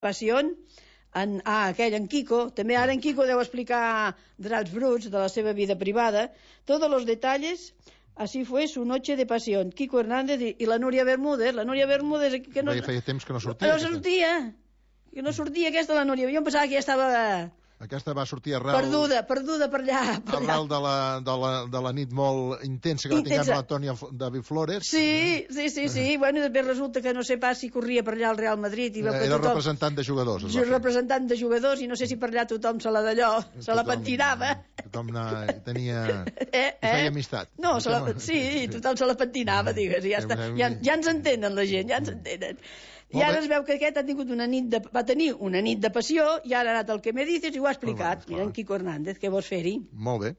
Passion, aquell, en Quico, també ara en Quico deu explicar drets bruts de la seva vida privada, todos los detalles. Así fue su noche de pasión. Quico Hernández i la Núria Bermúdez. La Núria Bermúdez... Que no, feia temps que no sortia. Que no sortia aquesta, la Núria. Jo em pensava que ja estava... Aquesta va sortir arrel... Perduda per allà. Arrel de la nit molt intensa que va tenir amb l'Antònia David Flores. Sí. Bueno, després resulta que no sé pas si corria per allà al Real Madrid. Era representant de jugadors. Representant de jugadors, i no sé si per allà tothom se la pentinava. Tothom tenia... feia amistat. No, sí, tothom se la pentinava, digues. Ja ens entenen la gent, ja ens entenen. I ara es veu que aquest va tenir una nit de passió, i ara ha anat el que me dices i ho ha explicat. Mira, en Quico Hernández, què vols fer-hi? Molt bé.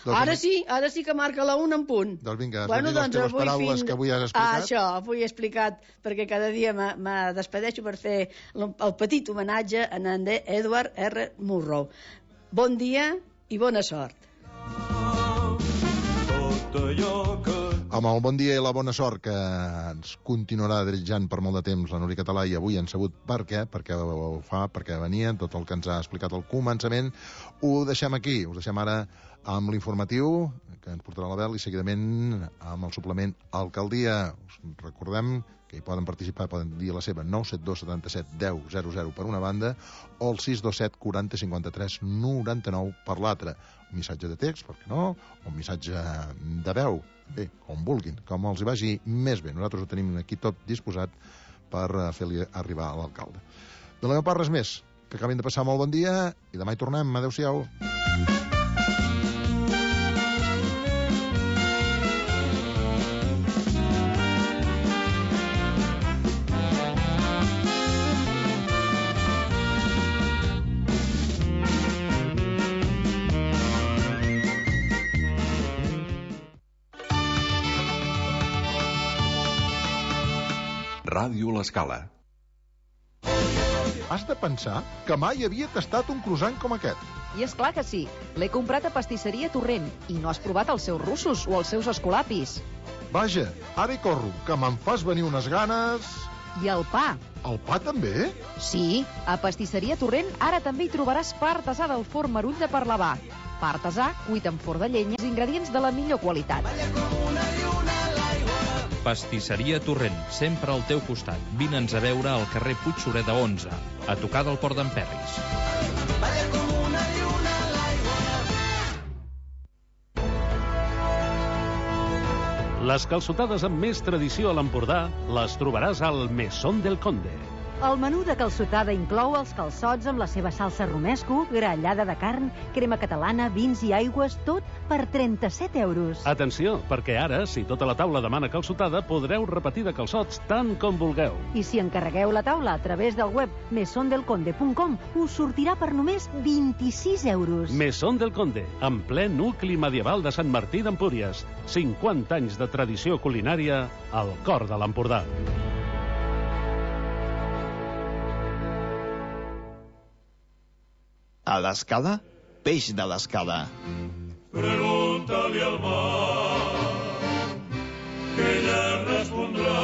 Ara sí que marca la 1 en punt. Doncs vinga, has de dir les teves paraules que avui has explicat. Això, avui he explicat, perquè cada dia me despedeixo per fer el petit homenatge a en Edward R. Murrow. Bon dia i bona sort. Amb el bon dia i la bona sort que ens continuarà desitjant per molt de temps la Núria Català, i avui han sabut per què, perquè ho fa, perquè venia, tot el que ens ha explicat al començament, ho deixem aquí. Us deixem ara amb l'informatiu que ens portarà la Bel, i seguidament amb el suplement Alcaldia. Us recordem que hi poden participar, poden dir la seva 972 77 10 00 per una banda, o el 627 40 53 99 per l'altra. Un missatge de text, per què no? O un missatge de veu, bé, com vulguin, com els hi vagi més bé. Nosaltres ho tenim aquí tot disposat per fer-li arribar a l'alcalde. De la meva part, res més. Que acabin de passar molt bon dia i demà hi tornem. Adéu-siau. Ràdio L'Escala. Has de pensar que mai havia tastat un croissant com aquest. I és clar que sí. L'he comprat a Pastisseria Torrent i no has provat els seus russos o els seus escolapis. Vaja, ara hi corro, que me'n fas venir unes ganes... I el pa. El pa també? Sí, a Pastisseria Torrent ara també hi trobaràs pa artesà del forn Marull de Parlavà. Pa artesà, cuit en forn de llenya, els ingredients de la millor qualitat. Pastisseria Torrent, sempre al teu costat. Vine'ns a veure al carrer Puig Sureda 11, a tocar del Port d'en Perris. Les calçotades amb més tradició a l'Empordà les trobaràs al Mesón del Conde. El menú de calçotada inclou els calçots amb la seva salsa romesco, grallada de carn, crema catalana, vins i aigües, tot per 37 euros. Atenció, perquè ara, si tota la taula demana calçotada, podreu repetir de calçots tant com vulgueu. I si encarregueu la taula a través del web mesondelconde.com, us sortirà per només 26 euros. Mesón del Conde, en ple nucli medieval de Sant Martí d'Empúries. 50 anys de tradició culinària al cor de l'Empordà. A l'Escala, peix de l'Escala. Pregunta-li al mar, que ella respondrà.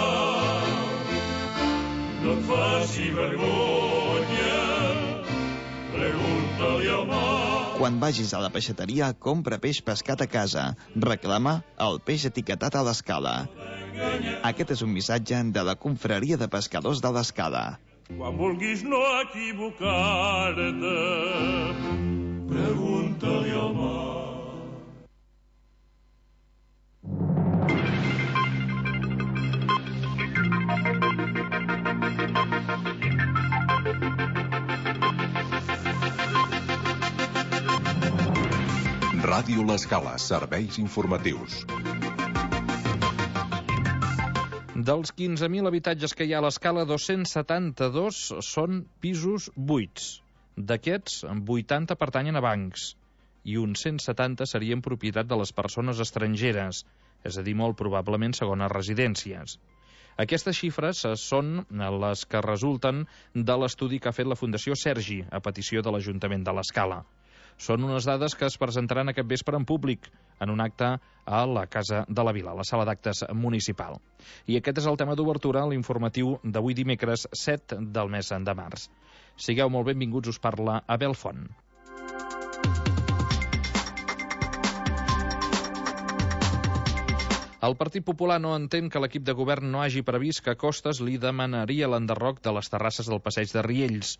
No et faci vergonya, pregunta-li al mar. Quan vagis a la peixateria, compra peix pescat a casa. Reclama el peix etiquetat a l'Escala. Aquest és un missatge de la Confraria de Pescadors de l'Escala. Quan vulguis no equivocar-te, pregunta-li al mar. Ràdio L'Escala, serveis informatius. Dels 15.000 habitatges que hi ha a l'Escala, 272 són pisos buits. D'aquests, 80 pertanyen a bancs i uns 170 serien propietat de les persones estrangeres, és a dir, molt probablement segones residències. Aquestes xifres són les que resulten de l'estudi que ha fet la Fundació Sergi a petició de l'Ajuntament de l'Escala. Són unes dades que es presentaran aquest vespre en públic, en un acte a la Casa de la Vila, a la sala d'actes municipal. I aquest és el tema d'obertura a l'informatiu d'avui dimecres 7 del mes de març. Sigueu molt benvinguts, us parla Abel Font. El Partit Popular no entén que l'equip de govern no hagi previst que Costes li demanaria l'enderroc de les terrasses del passeig de Riells.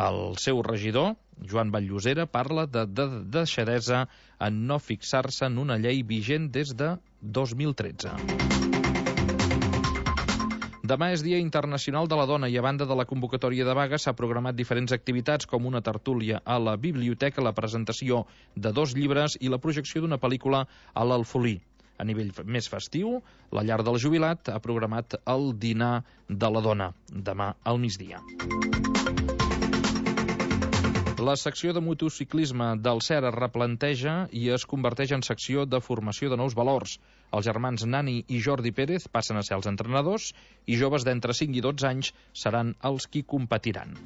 El seu regidor, Joan Batllosera, parla de deixadesa en no fixar-se en una llei vigent des de 2013. Demà és Dia Internacional de la Dona i a banda de la convocatòria de vaga s'ha programat diferents activitats com una tertúlia a la biblioteca, la presentació de 2 llibres i la projecció d'una pel·lícula a l'Alfolí. A nivell més festiu, la Llar del Jubilat ha programat el dinar de la dona, demà al migdia. La secció de motociclisme del CER es replanteja i es converteix en secció de formació de nous valors. Els germans Nani i Jordi Pérez passen a ser els entrenadors i joves d'entre 5 i 12 anys seran els qui competiran.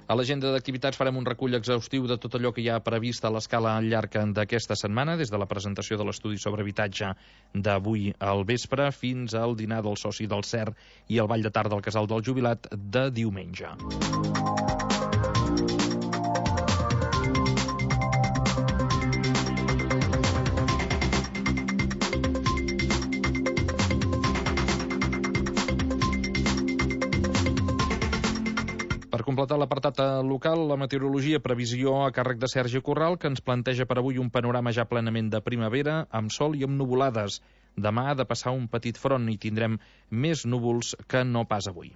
A l'agenda d'activitats farem un recull exhaustiu de tot allò que hi ha previst a l'escala al llarg d'aquesta setmana, des de la presentació de l'estudi sobre habitatge d'avui al vespre fins al dinar del soci del CER i el ball de tarda al Casal del Jubilat de diumenge. Per completar l'apartat local, la meteorologia, previsió a càrrec de Sergi Corral, que ens planteja per avui un panorama ja plenament de primavera, amb sol i amb nuvolades. Demà ha de passar un petit front i tindrem més núvols que no pas avui.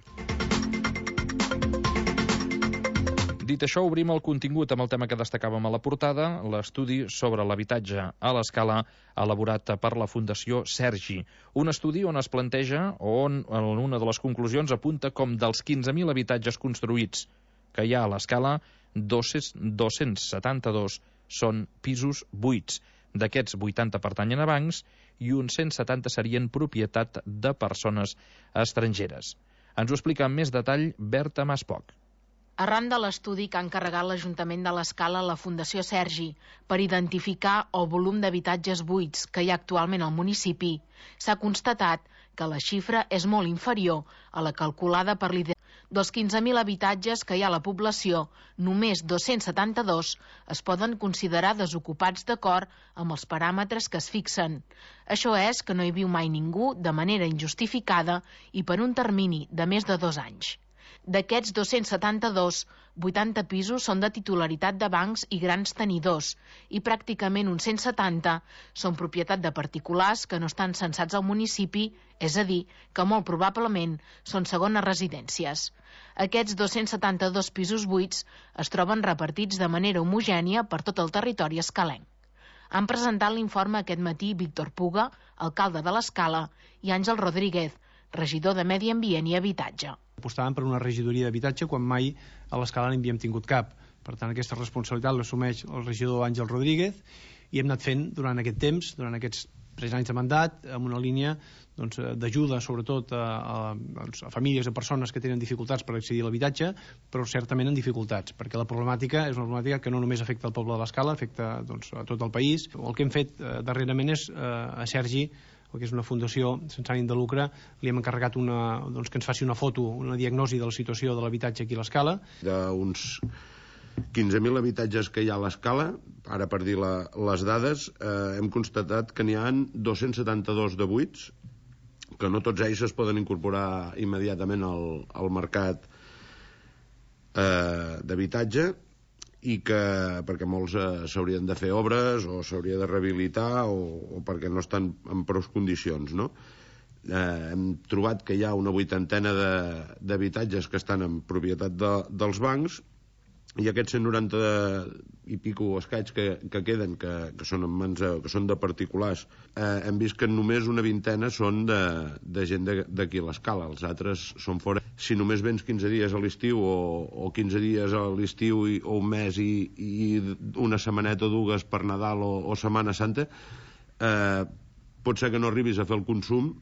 Dit això, obrim el contingut amb el tema que destacàvem a la portada, l'estudi sobre l'habitatge a l'escala elaborat per la Fundació Sergi. Un estudi on es planteja, on una de les conclusions apunta com dels 15.000 habitatges construïts que hi ha a l'escala, 272 són pisos buits. D'aquests, 80 pertanyen a bancs i uns 170 serien propietat de persones estrangeres. Ens ho explica amb més detall Berta Maspoch. Arran de l'estudi que ha encarregat l'Ajuntament de l'Escala a la Fundació Sergi per identificar el volum d'habitatges buits que hi ha actualment al municipi, s'ha constatat que la xifra és molt inferior a la calculada per l'IDE. Dels 15.000 habitatges que hi ha a la població, només 272 es poden considerar desocupats d'acord amb els paràmetres que es fixen. Això és que no hi viu mai ningú de manera injustificada i per un termini de més de 2 anys. D'aquests 272, 80 pisos són de titularitat de bancs i grans tenidors i pràcticament uns 170 són propietat de particulars que no estan censats al municipi, és a dir, que molt probablement són segones residències. Aquests 272 pisos buits es troben repartits de manera homogènia per tot el territori escalenc. Han presentat l'informe aquest matí Víctor Puga, alcalde de l'Escala, i Àngel Rodríguez, regidor de Medi Ambient i Habitatge. Apostàvem per una regidoria d'habitatge quan mai a l'Escala n'havíem tingut cap. Per tant, aquesta responsabilitat l'assumeix el regidor Àngel Rodríguez i hem anat fent durant aquest temps, durant aquests 3 anys de mandat, amb una línia d'ajuda sobretot a famílies, a persones que tenen dificultats per accedir a l'habitatge, però certament en dificultats, perquè la problemàtica és una problemàtica que no només afecta el poble de l'Escala, afecta a tot el país. El que hem fet darrerament és a Sergi, que és una fundació sense ànim de lucre, li hem encarregat que ens faci una foto, una diagnosi de la situació de l'habitatge aquí a l'Escala. D'uns 15.000 habitatges que hi ha a l'Escala, ara per dir les dades, hem constatat que n'hi ha 272 de buits, que no tots ells es poden incorporar immediatament al mercat d'habitatge, i que perquè molts s'haurien de fer obres o s'hauria de rehabilitar o perquè no estan en prou condicions, no? Hem trobat que hi ha una 80ena d'habitatges que estan en propietat dels bancs i aquests 190 i pico escaig que queden, que són en mans, que són de particulars, hem vist que només una vintena són de gent d'aquí a l'Escala, els altres són fora. Si només vens 15 dies a l'estiu o 15 dies a l'estiu o un mes i una setmaneta o dues per Nadal o Setmana Santa, pot ser que no arribis a fer el consum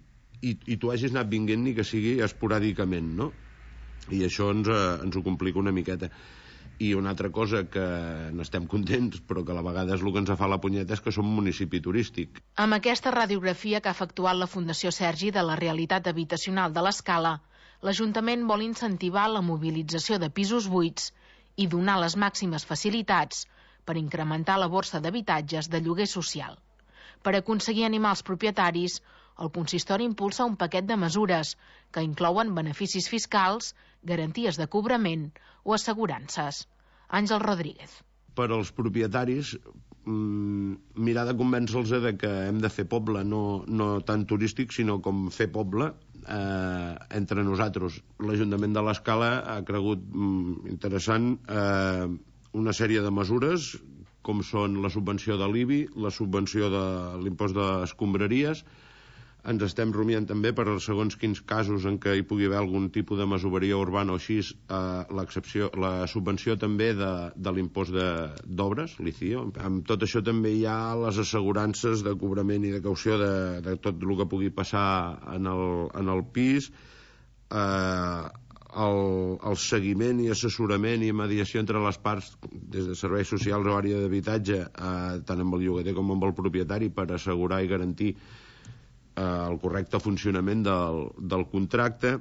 i tu hagis anat vinguent ni que sigui esporàdicament, no? I això ens ho complica una miqueta. I una altra cosa que n'estem contents, però que a la vegada és el que ens fa la punyeta, és que som un municipi turístic. Amb aquesta radiografia que ha efectuat la Fundació Sergi de la realitat habitacional de l'Escala, l'Ajuntament vol incentivar la mobilització de pisos buits i donar les màximes facilitats per incrementar la borsa d'habitatges de lloguer social. Per aconseguir animar els propietaris, el consistori impulsa un paquet de mesures que inclouen beneficis fiscals, garanties de cobrament o assegurances. Àngel Rodríguez. Per als propietaris, mirar de convèncer-los de que hem de fer poble, no tant turístic, sinó com fer poble entre nosaltres. L'Ajuntament de l'Escala ha cregut interessant una sèrie de mesures, com són la subvenció de l'IBI, la subvenció de l'impost d'escombraries. Ens estem rumiant també per segons quins casos en què hi pugui haver algun tipus de masoveria urbana o així, la subvenció també de l'impost d'obres, l'ICIO. Amb tot això també hi ha les assegurances de cobrament i de caució de tot el que pugui passar en el pis, el seguiment i assessorament i mediació entre les parts, des de serveis socials o àrea d'habitatge, tant amb el llogater com amb el propietari, per assegurar i garantir el correcte funcionament del contracte.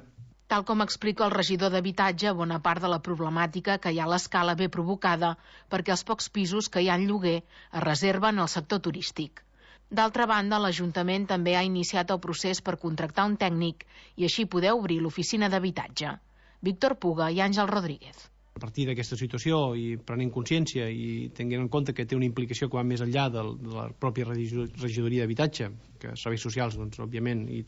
Tal com explica el regidor d'Habitatge, bona part de la problemàtica que hi ha a l'Escala ve provocada perquè els pocs pisos que hi ha en lloguer es reserven al sector turístic. D'altra banda, l'Ajuntament també ha iniciat el procés per contractar un tècnic i així poder obrir l'oficina d'habitatge. Víctor Puga i Àngel Rodríguez. A partir d'aquesta situació i prenent consciència i tenint en compte que té una implicació que va més enllà de la pròpia regidoria d'habitatge, que serveis socials, doncs, òbviament, hi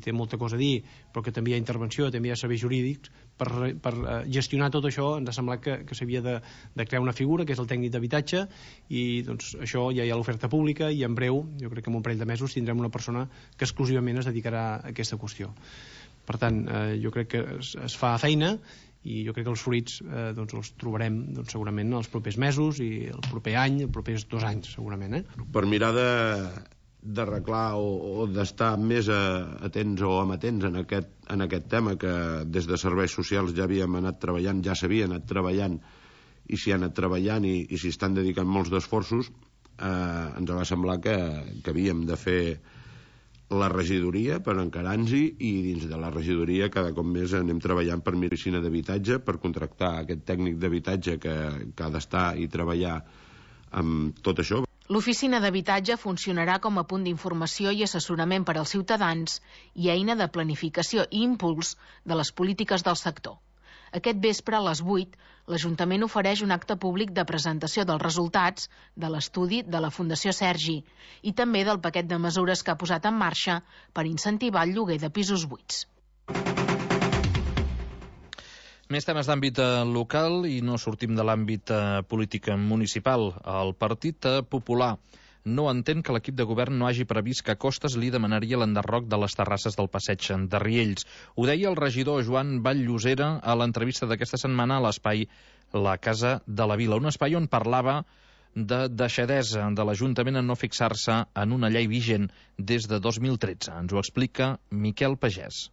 té molta cosa a dir, però que també hi ha intervenció, també hi ha serveis jurídics, per gestionar tot això ens ha semblat que s'havia de crear una figura, que és el tècnic d'habitatge, i doncs això ja hi ha l'oferta pública i en breu, jo crec que en un parell de mesos, tindrem una persona que exclusivament es dedicarà a aquesta qüestió. Per tant, jo crec que es fa feina i jo crec que els fruits els trobarem segurament els propers mesos i el proper any, els propers 2 anys segurament. Per mirar d'arreglar o d'estar més atents o amatents en aquest tema, que des de serveis socials ja havíem anat treballant, ja s'havia anat treballant i s'hi ha anat treballant i s'hi estan dedicant molts d'esforços, ens va semblar que havíem de fer la regidoria per encarar-nos-hi, i dins de la regidoria cada cop més anem treballant per oficina d'habitatge, per contractar aquest tècnic d'habitatge que ha d'estar i treballar amb tot això. L'oficina d'habitatge funcionarà com a punt d'informació i assessorament per als ciutadans i eina de planificació i impuls de les polítiques del sector. Aquest vespre, a les 8, l'Ajuntament ofereix un acte públic de presentació dels resultats de l'estudi de la Fundació Sergi i també del paquet de mesures que ha posat en marxa per incentivar el lloguer de pisos buits. Més temes d'àmbit local i no sortim de l'àmbit polític municipal. El Partit Popular no entén que l'equip de govern no hagi previst que Costes li demanaria l'enderroc de les terrasses del passeig de Riells. Ho deia el regidor Joan Vall-Llosera a l'entrevista d'aquesta setmana a l'espai La Casa de la Vila, un espai on parlava de deixadesa de l'Ajuntament en no fixar-se en una llei vigent des de 2013. Ens ho explica Miquel Pagès.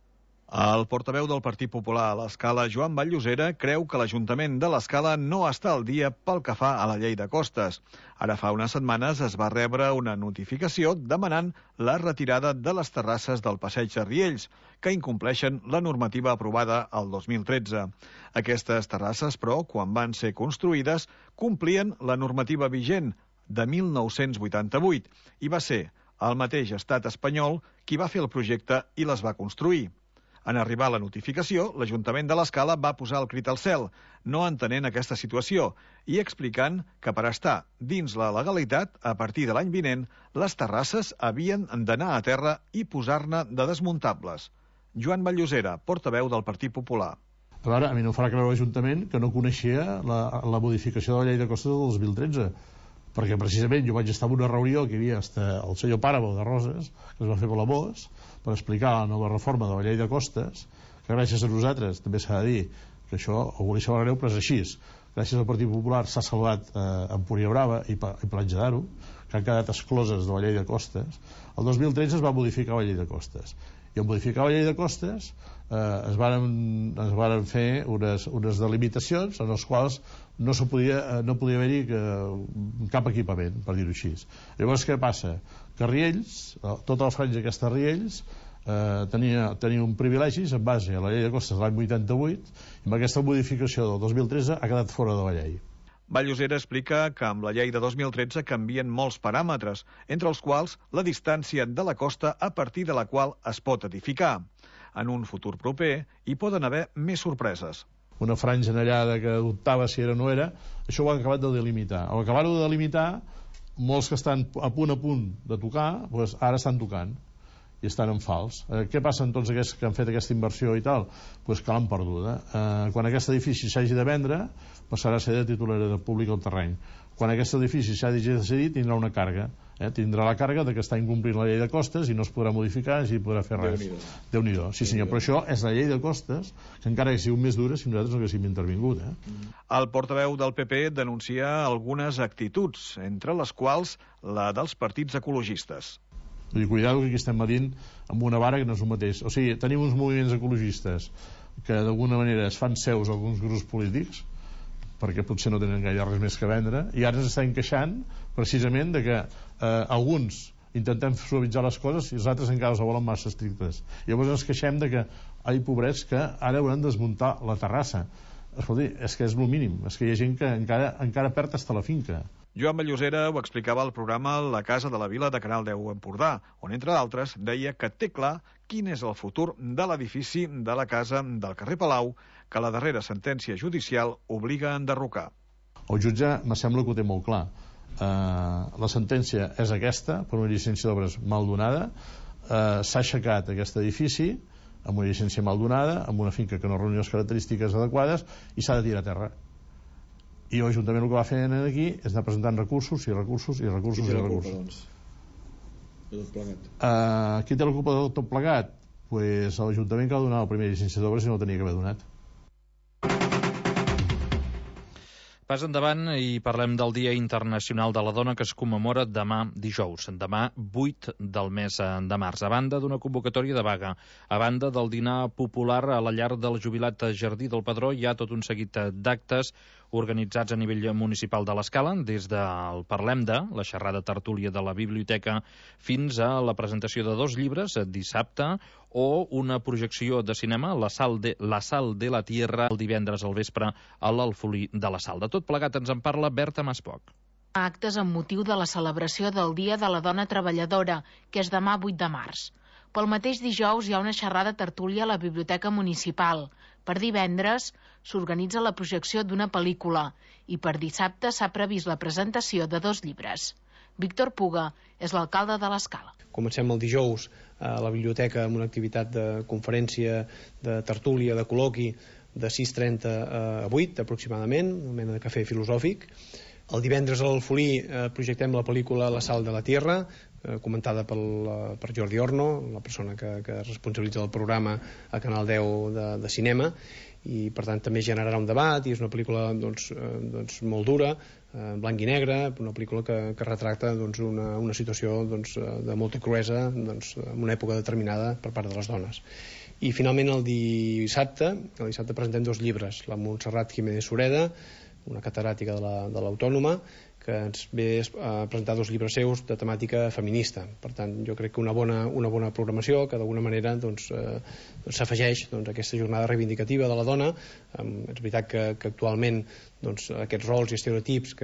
El portaveu del Partit Popular a l'Escala, Joan Vall-Llosera, creu que l'Ajuntament de l'Escala no està al dia pel que fa a la llei de costes. Ara fa unes setmanes es va rebre una notificació demanant la retirada de les terrasses del passeig de Riells, que incompleixen la normativa aprovada el 2013. Aquestes terrasses, però, quan van ser construïdes, complien la normativa vigent de 1988 i va ser el mateix estat espanyol qui va fer el projecte i les va construir. En arribar la notificació, l'Ajuntament de l'Escala va posar el crit al cel, no entenent aquesta situació i explicant que per estar dins la legalitat, a partir de l'any vinent, les terrasses havien d'anar a terra i posar-ne de desmuntables. Joan Vall-Llosera, portaveu del Partit Popular. A veure, a mi no farà creure l'Ajuntament que no coneixia la modificació de la llei de costes del 2013, perquè precisament jo vaig estar en una reunió que hi havia el senyor Pàramo de Roses, que es va fer per la MOS, per explicar la nova reforma de la llei de costes, que gràcies a nosaltres, també s'ha de dir, que això ho coneixeu greu, però és així. Gràcies al Partit Popular s'ha salvat Empúria Brava i Platja d'Aro, que han quedat excloses de la llei de costes, el 2013 es va modificar la llei de costes. I en modificar la llei de costes es varen fer unes delimitacions en les quals no podia haver-hi cap equipament, per dir-ho així. Llavors què passa? Que Riells, tota la franja aquesta Riells, tenia un privilegi en base a la llei de costes de l'any 88 i amb aquesta modificació del 2013 ha quedat fora de la llei. Vall-llosera explica que amb la llei de 2013 canvien molts paràmetres, entre els quals la distància de la costa a partir de la qual es pot edificar. En un futur proper hi poden haver més sorpreses. Una franja anellada que dubtava si era o no era, això ho han acabat de delimitar. Al acabar-ho de delimitar, molts que estan a punt de tocar, doncs ara estan tocant i estan en fals. Què passa amb tots aquests que han fet aquesta inversió i tal? Doncs que l'han perduda. Quan aquest edifici s'hagi de vendre, passarà a ser de titularitat pública el terreny. Quan aquest edifici s'hagi de decidir, tindrà una càrrega. Tindrà la càrrega de que està incomplint la llei de costes i no es podrà modificar i no podrà fer res. Déu-n'hi-do. Sí senyor, però això és la llei de costes que encara hagi sigut més dura si nosaltres no haguéssim intervingut. El portaveu del PP denuncia algunes actituds, entre les quals la dels partits ecologistes. Vull dir, cuidado que aquí estem medint amb una vara que no és el mateix. O sigui, tenim uns moviments ecologistes que d'alguna manera es fan seus alguns grups polítics perquè potser no tenen gaire res més que vendre i ara ens estan queixant precisament de que alguns intentem suavitzar les coses i els altres encara les volen massa estrictes. Llavors ens queixem de que ai, pobrets, que ara hauran de desmuntar la terrassa. Escolti, és que és el mínim, és que hi ha gent que encara perd hasta la finca. Joan Vall-llosera ho explicava al programa La Casa de la Vila de Canal 10 Empordà, on, entre d'altres, deia que té clar quin és el futur de l'edifici de la casa del carrer Palau, que la darrera sentència judicial obliga a enderrocar. El jutge me sembla que ho té molt clar. La sentència és aquesta, per una llicència d'obres mal donada. S'ha aixecat aquest edifici amb una llicència mal donada, amb una finca que no reunió les característiques adequades i s'ha de tirar a terra. I l'Ajuntament el que va fer aquí és anar presentant recursos i recursos i recursos i recursos. Qui té la culpa de tot plegat? Pues l'Ajuntament que ha donat la primera llicència d'obres i no la tenia que haver donat. Pas endavant i parlem del Dia Internacional de la Dona que es commemora demà dijous, demà 8 del mes de març. A banda d'una convocatòria de vaga, a banda del dinar popular a la llar del jubilat Jardí del Pedró, hi ha tot un seguit d'actes organitzats a nivell municipal de l'Escala, des del Parlem de, la xerrada tertúlia de la biblioteca, fins a la presentació de 2 llibres dissabte o una projecció de cinema, La Sal de la Tierra, el divendres al vespre a l'Alfolí de la Sal. De tot plegat ens en parla Berta Maspoc. Actes amb motiu de la celebració del Dia de la Dona Treballadora, que és demà 8 de març. Pel mateix dijous hi ha una xerrada tertúlia a la Biblioteca Municipal. Per divendres s'organitza la projecció d'una pel·lícula i per dissabte s'ha previst la presentació de 2 llibres. Víctor Puga és l'alcalde de l'Escala. Comencem el dijous a la biblioteca amb una activitat de conferència, de tertúlia, de col·loqui de 6:30 a 8 aproximadament, una mena de cafè filosòfic. El divendres a l'Alfolí projectem la pel·lícula La Sal de la Tierra, comentada per Jordi Orno, la persona que responsabilitza el programa a Canal 10 de cinema, i per tant també generarà un debat, i és una pel·lícula molt dura, en blanc i negre, una pel·lícula que retracta una situació de molta cruesa en una època determinada per part de les dones. I finalment el dissabte presentem 2 llibres, la Montserrat Jiménez Sureda, una catedràtica de l'Autònoma, que ens ve a presentar 2 llibres seus de temàtica feminista. Per tant, jo crec que una bona programació que d'alguna manera s'afegeix a aquesta jornada reivindicativa de la dona. És veritat que actualment aquests rols i estereotips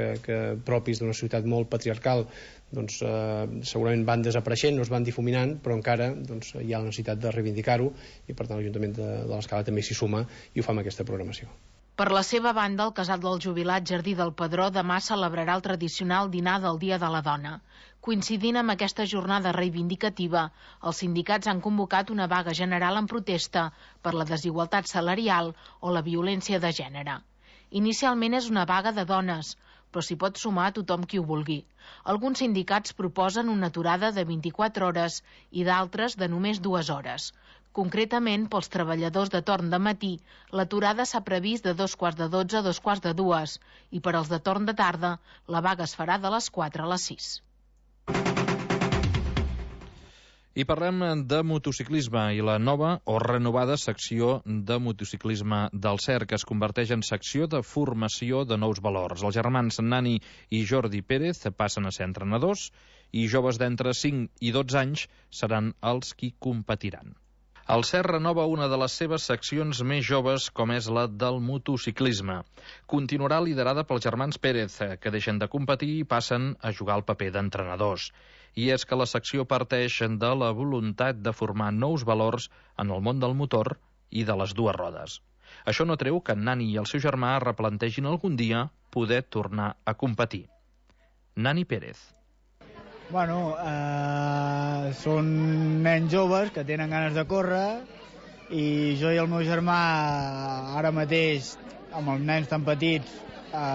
propis d'una societat molt patriarcal segurament van desapareixent, no es van difuminant, però encara hi ha la necessitat de reivindicar-ho, i per tant l'Ajuntament de l'Escala també s'hi suma i ho fa amb aquesta programació. Per la seva banda, el casal del jubilat Jardí del Pedró demà celebrarà el tradicional dinar del Dia de la Dona. Coincidint amb aquesta jornada reivindicativa, els sindicats han convocat una vaga general en protesta per la desigualtat salarial o la violència de gènere. Inicialment és una vaga de dones, però s'hi pot sumar a tothom qui ho vulgui. Alguns sindicats proposen una aturada de 24 hores i d'altres de només 2 hores. Concretament, pels treballadors de torn de matí, l'aturada s'ha previst de 2:15 a 2:45 i per als de torn de tarda, la vaga es farà de les 4 a les 6. I parlem de motociclisme i la nova o renovada secció de motociclisme del CER, que es converteix en secció de formació de nous valors. Els germans Nani i Jordi Pérez passen a ser entrenadors i joves d'entre 5 i 12 anys seran els qui competiran. El CER renova una de les seves seccions més joves, com és la del motociclisme. Continuarà liderada pels germans Pérez, que deixen de competir i passen a jugar el paper d'entrenadors. I és que la secció parteix de la voluntat de formar nous valors en el món del motor i de les dues rodes. Això no treu que Nani i el seu germà replantegin algun dia poder tornar a competir. Nani Pérez. Són nens joves que tenen ganes de córrer i jo i el meu germà ara mateix, amb els nens tan petits,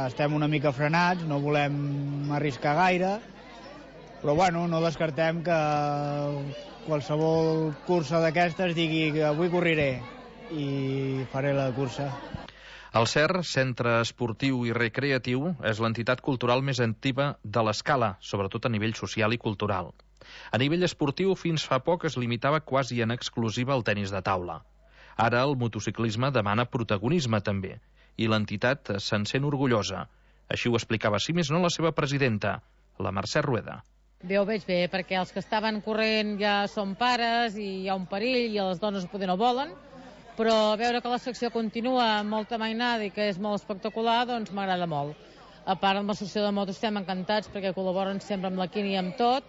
estem una mica frenats, no volem arriscar gaire, però no descartem que qualsevol cursa d'aquestes digui que avui corriré i faré la cursa. El CER, Centre Esportiu i Recreatiu, és l'entitat cultural més antiga de l'Escala, sobretot a nivell social i cultural. A nivell esportiu, fins fa poc es limitava quasi en exclusiva al tenis de taula. Ara el motociclisme demana protagonisme també, i l'entitat se'n sent orgullosa. Així ho explicava, si més no, la seva presidenta, la Mercè Rueda. Bé, ho veig bé, perquè els que estaven corrent ja són pares i hi ha un perill i les dones poder no volen, però veure que la secció continua amb molta mainada i que és molt espectacular, doncs m'agrada molt. A part, amb l'associació de motos estem encantats perquè col·laboren sempre amb la Quini i amb tot,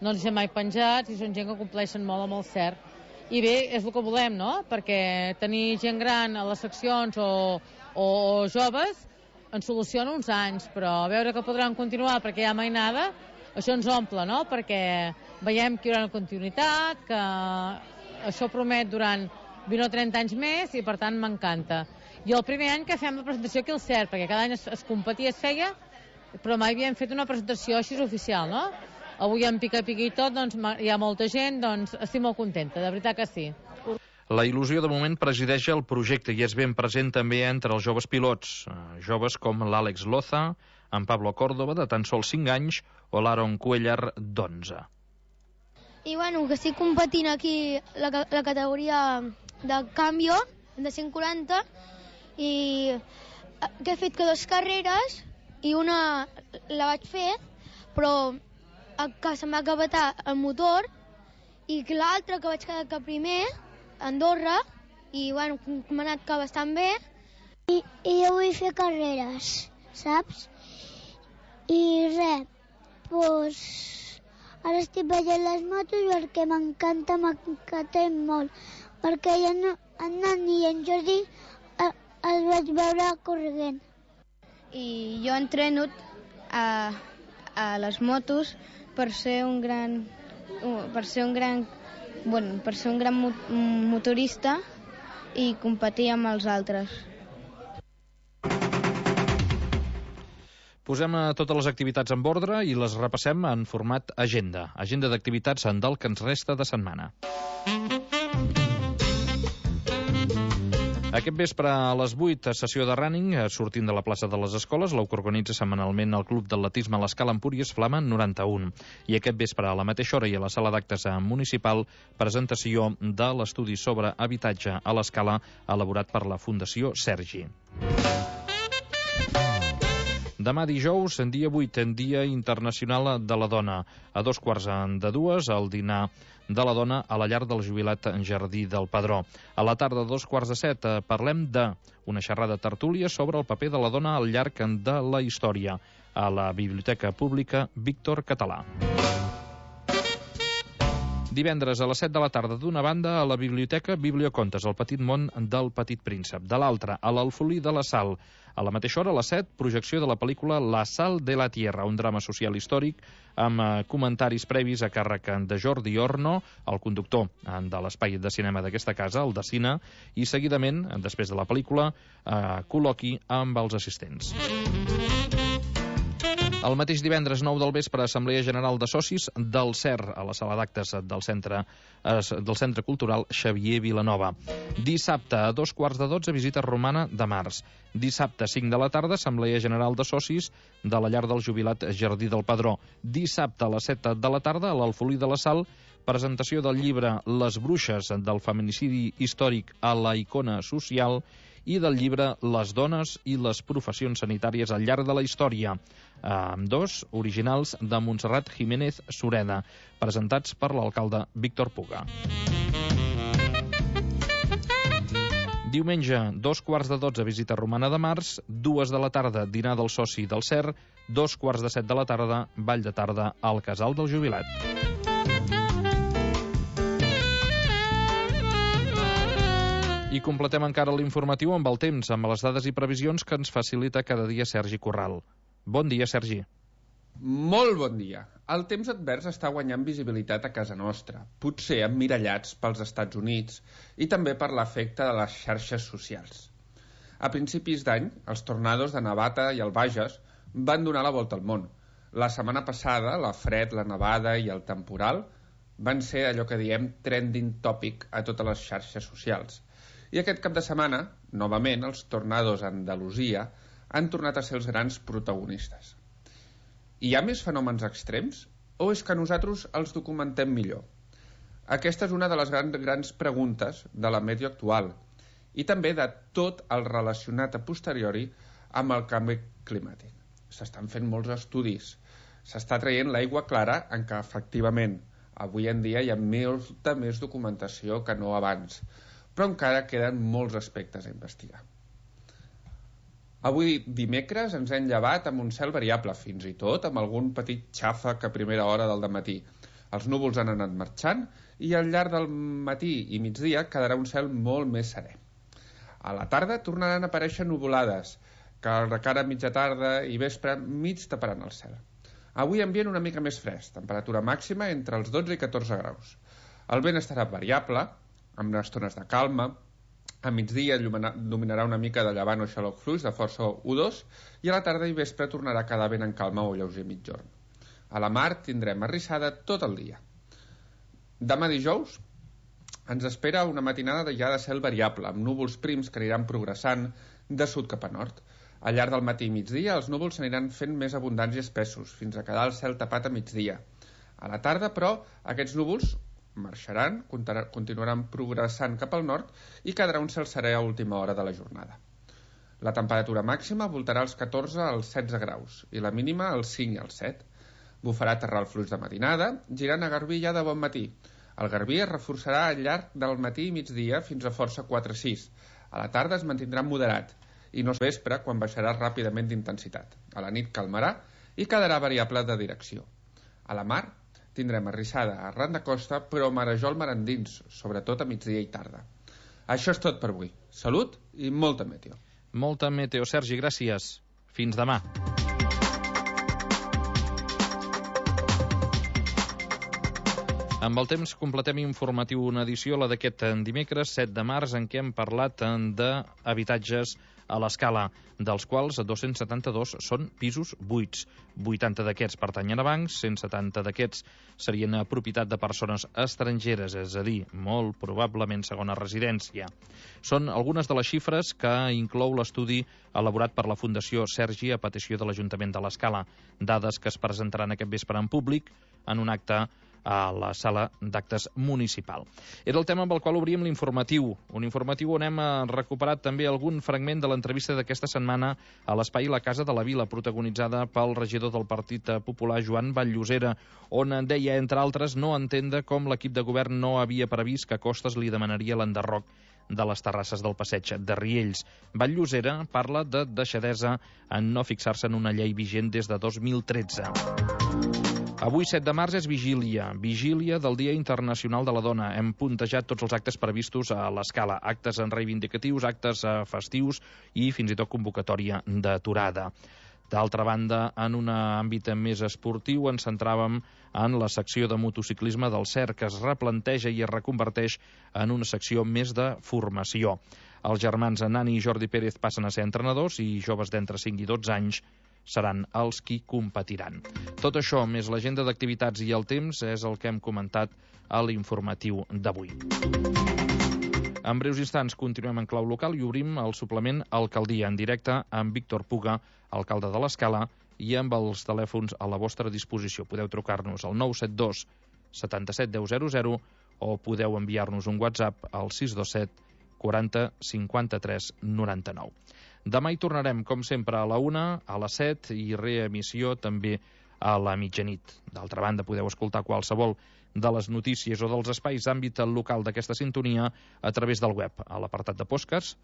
no ens deixem mai penjats i són gent que compleixen molt amb el CER. I bé, és el que volem, no? Perquè tenir gent gran a les seccions o joves ens soluciona uns anys, però veure que podran continuar perquè hi ha mainada, això ens omple, no? Perquè veiem que hi haurà una continuïtat, que això promet durant 20 o 30 anys més i per tant m'encanta. I el primer any que fem la presentació aquí al CER, perquè cada any es competia, es feia, però mai havíem fet una presentació així oficial, no? Avui en pica-pica i tot, doncs hi ha molta gent, doncs estic molt contenta, de veritat que sí. La il·lusió de moment presideix el projecte i és ben present també entre els joves pilots, joves com l'Àlex Loza, en Pablo Córdoba, de tan sols 5 anys, o l'Aaron Cuellar, d'11. I que estic competint aquí la categoria de cambio, de 140, i que he fet que 2 carreres, i una la vaig fer, però que se'm va acabar el motor, i que l'altra que vaig quedar primer, a Andorra, i m'ha anat bastant bé. I jo vull fer carreres, saps? I res, doncs ara estic veient les motos perquè m'encanten molt, perquè en Nani i en Jordi els vaig veure corrent. I jo entreno a les motos per ser un gran motorista i competir amb els altres. Posem totes les activitats en ordre i les repassem en format agenda. Agenda d'activitats del que ens resta de setmana. Aquest vespre a les 8, sessió de running, sortint de la plaça de les Escoles, la que organitza setmanalment el Club d'Atletisme a l'Escala Empúries Flama 91. I aquest vespre a la mateixa hora i a la sala d'actes municipal, presentació de l'estudi sobre habitatge a l'Escala elaborat per la Fundació Sergi. Demà dijous, en dia 8, en Dia Internacional de la Dona. A 2:45, el dinar de la dona a la llar del jubilat en Jardí del Padró. A la tarda, 2:45, parlem d'una xerrada tertúlia sobre el paper de la dona al llarg de la història a la Biblioteca Pública Víctor Català. Divendres a les 7 de la tarda, d'una banda, a la Biblioteca Bibliocontes, el petit món del Petit Príncep. De l'altra, a l'Alfolí de la Sal. A la mateixa hora, a les 7, projecció de la pel·lícula La Sal de la Tierra, un drama social històric amb comentaris previs a càrrec de Jordi Orno, el conductor de l'espai de cinema d'aquesta casa, el de Cine, i seguidament, després de la pel·lícula, col·loqui amb els assistents. El mateix divendres 9 del vespre, Assemblea General de Socis del CER, a la sala d'actes del Centre Cultural Xavier Vilanova. Dissabte, a 2:15, visita romana de març. Dissabte, 5 de la tarda, Assemblea General de Socis de la llar del jubilat Jardí del Padró. Dissabte, a les 7 de la tarda, a l'Alfolí de la Sal, presentació del llibre Les bruixes, del feminicidi històric a la icona social, i del llibre Les dones i les professions sanitàries al llarg de la història, ambdós originals de Montserrat Jiménez Sureda, presentats per l'alcalde Víctor Puga. Diumenge, 2:15, visita romana de març, 2 de la tarda, dinar del soci del CER, 2:15 de la tarda, ball de tarda al Casal del Jubilat. I completem encara l'informatiu amb el temps, amb les dades i previsions que ens facilita cada dia Sergi Corral. Bon dia, Sergi. Molt bon dia. El temps advers està guanyant visibilitat a casa nostra, potser emmirallats pels Estats Units i també per l'efecte de les xarxes socials. A principis d'any, els tornados de Navata i el Bages van donar la volta al món. La setmana passada, la fred, la nevada i el temporal van ser allò que diem trending topic a totes les xarxes socials. I aquest cap de setmana, novament, els tornados a Andalusia han tornat a ser els grans protagonistes. Hi ha més fenòmens extrems? O és que nosaltres els documentem millor? Aquesta és una de les grans preguntes de la meteo actual i també de tot el relacionat a posteriori amb el canvi climàtic. S'estan fent molts estudis, s'està traient l'aigua clara en què efectivament avui en dia hi ha molta més documentació que no abans, però encara queden molts aspectes a investigar. Avui dimecres ens hem llevat amb un cel variable, fins i tot amb algun petit xàfec a primera hora del dematí. Els núvols han anat marxant i al llarg del matí i migdia quedarà un cel molt més serè. A la tarda tornaran a aparèixer nuvolades, que de cara a mitja tarda i vespre mig taparan el cel. Avui ambient una mica més fresc, temperatura màxima entre els 12 i 14 graus. El vent estarà variable, amb estones de calma. A migdia dominarà una mica de llevant o xaloc fluix de força 1-2 i a la tarda i vespre tornarà a quedar vent en calma o lleuger mitjorn. A la mar tindrem arrissada tot el dia. Demà dijous ens espera una matinada ja de cel variable, amb núvols prims que aniran progressant de sud cap a nord. Al llarg del matí i migdia els núvols s'aniran fent més abundants i espessos, fins a quedar el cel tapat a migdia. A la tarda, però, aquests núvols marxaran, continuaran progressant cap al nord i quedarà un cel serè a última hora de la jornada. La temperatura màxima voltarà als 14 als 16 graus i la mínima als 5 i als 7. Bufarà terral fluix de matinada, girant a Garbí ja de bon matí. El Garbí es reforçarà al llarg del matí i migdia fins a força 4-6. A la tarda es mantindrà moderat i no es vespre quan baixarà ràpidament d'intensitat. A la nit calmarà i quedarà variable de direcció. A la mar tindrem arrissada arran de costa, però marejol mar endins, sobretot a migdia i tarda. Això és tot per avui. Salut i molta meteo. Molta meteo, Sergi, gràcies. Fins demà. Amb el temps completem informatiu una edició, la d'aquest dimecres 7 de març, en què hem parlat d'habitatges a l'Escala, dels quals 272 són pisos buits. 80 d'aquests pertanyen a bancs, 170 d'aquests serien propietat de persones estrangeres, és a dir, molt probablement segona residència. Són algunes de les xifres que inclou l'estudi elaborat per la Fundació Sergi a petició de l'Ajuntament de l'Escala, dades que es presentaran aquest vespre en públic en un acte a la sala d'actes municipal. Era el tema amb el qual obríem l'informatiu. Un informatiu on hem recuperat també algun fragment de l'entrevista d'aquesta setmana a l'espai La Casa de la Vila, protagonitzada pel regidor del Partit Popular, Joan Vall-llosera, on deia, entre altres, no entendre com l'equip de govern no havia previst que Costes li demanaria l'enderroc de les terrasses del passeig de Riells. Vall-llosera parla de deixadesa en no fixar-se en una llei vigent des de 2013. Avui, 7 de març, és vigília del Dia Internacional de la Dona. Hem puntejat tots els actes previstos a l'Escala, actes reivindicatius, actes festius i fins i tot convocatòria d'aturada. D'altra banda, en un àmbit més esportiu, ens centràvem en la secció de motociclisme del CER, que es replanteja i es reconverteix en una secció més de formació. Els germans Nani i Jordi Pérez passen a ser entrenadors i joves d'entre 5 i 12 anys seran els qui competiran. Tot això, més l'agenda d'activitats i el temps, és el que hem comentat a l'informatiu d'avui. En breus instants continuem en clau local i obrim el suplement Alcaldia en directe amb Víctor Puga, alcalde de l'Escala, i amb els telèfons a la vostra disposició. Podeu trucar-nos al 972 77 10 00 o podeu enviar-nos un WhatsApp al 627 40 53 99. Demà hi tornarem, com sempre, a la 1, a les 7 i reemissió també a la mitjanit. D'altra banda, podeu escoltar qualsevol de les notícies o dels espais d'àmbit local d'aquesta sintonia a través del web, a l'apartat de podcasts,